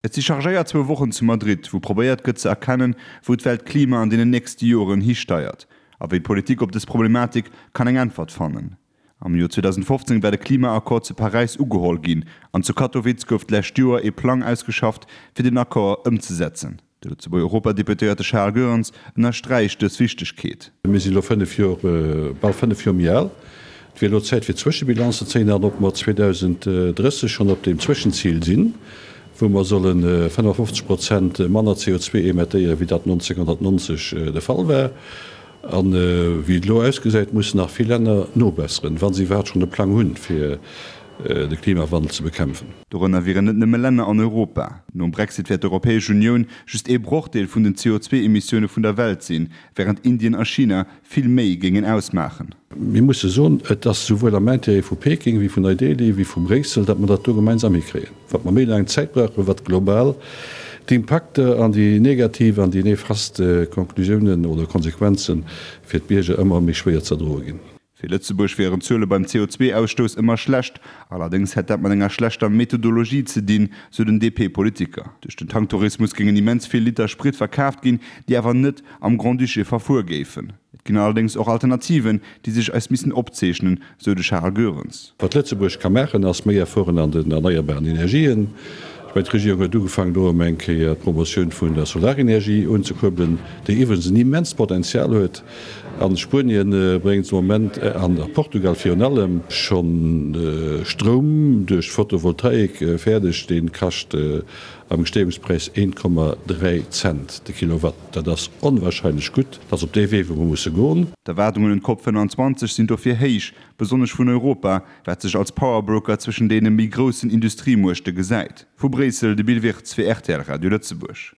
Et si chargéiert zwou Wochen zu Madrid, wou probéiert gëtt ze erkennen, wou d'Weltklima an deenen nächste Joren histeiert a wéi d'Politik op dës Problematik kann eng Äntwert fannen. Am Joer 2015 war de Klimaaccord zu Paräis ugeholl ginn an zu Katowice gouf d'lescht Joer ee Plang ausgeschafft, fir den Accord ëmzesetzen. De Lëtzebuerger Europadeputéierte Charles Goerens ënnersträicht dës Wichtegkeet. Mir sinn elo 5 Joer, bal 5 Joer méi al. Et wier elo Zäit fir Zwëschebilanz ze zéien an ob mer 2030 schonn op deem Zwëschenzil sinn, wou mer solle 55 Prozent manner CO2 emettéieren, wéi dat 1990 de Fall war. A wéi et elo ausgesäit, mussen nach vill Länner nobesseren, wa se iwwerhaapt schonn e Plang hunn, fir de Klimawandel ze bekämpfen. Dorënner wieren net nëmme Länner an Europa. Nom Brexit wäert d'Europäesch Unioun just ee Brochdeel vun den CO2-Emissioune vun der Welt sinn, wärend Indien a China vill méi géingen ausmaachen. Mir musse soen, et ass souwuel am Intérêt vu Peking wéi vun Neu-Delhi wéi vu Bréissel, datt mer dat do gemeinsam hikréien. Wat mer méi laang Zäit brauchen, wat global d'Impakter an déi negativ an déi nefast Konklusiounen oder Konsequenze fir d'Bierger ëmmer méi schwéier ze erdroe ginn. Fir Lëtzebuerg wieren d'Zuele beim CO2-Ausstouss ëmmer schlecht, allerdéngs hätt dat mat enger schlechter Methodologie ze dinn, sou den DP-Politiker. Duerch den Tanktourismus géingen immens vill Liter Sprit verkaaft ginn, déi awer net am Grand-Duché verfuer géifen. Et ginn allerdéngs och Alternativen, déi sech eis missten opzeechnen, sou de Charles Goerens. Wat Lëtzebuerg ka maachen, ass méi Efforten an den erneierbaren Energien. Ech mengen, d'Regierung huet ugefaangen, elo erëm eng Kéier d'Promotioun vun der Solarenergie unzekuerbelen, déi iwwregens en immenst Potenzial huet. An Spuenien bréngt de Moment, an a Portugal virun allem, schonn Stroum duerch Photovoltaik fäerdeg, dee kascht am Gesteeungspräis 1,3 Cent de Kilowatt. Dat ass onwahrscheinlech gutt. Dat ass op dee Wee, wou mer musse goen. D'Erwaardungen un d'Cop 25 sinn dofir héich, besonnesch vun Europa, wat sech als Powerbroker zwëschen deene méi groussen Industriemuechte gesäit. Vu Bréissel, de Bill Wirtz fir rtl Radio Lëtzebuerg.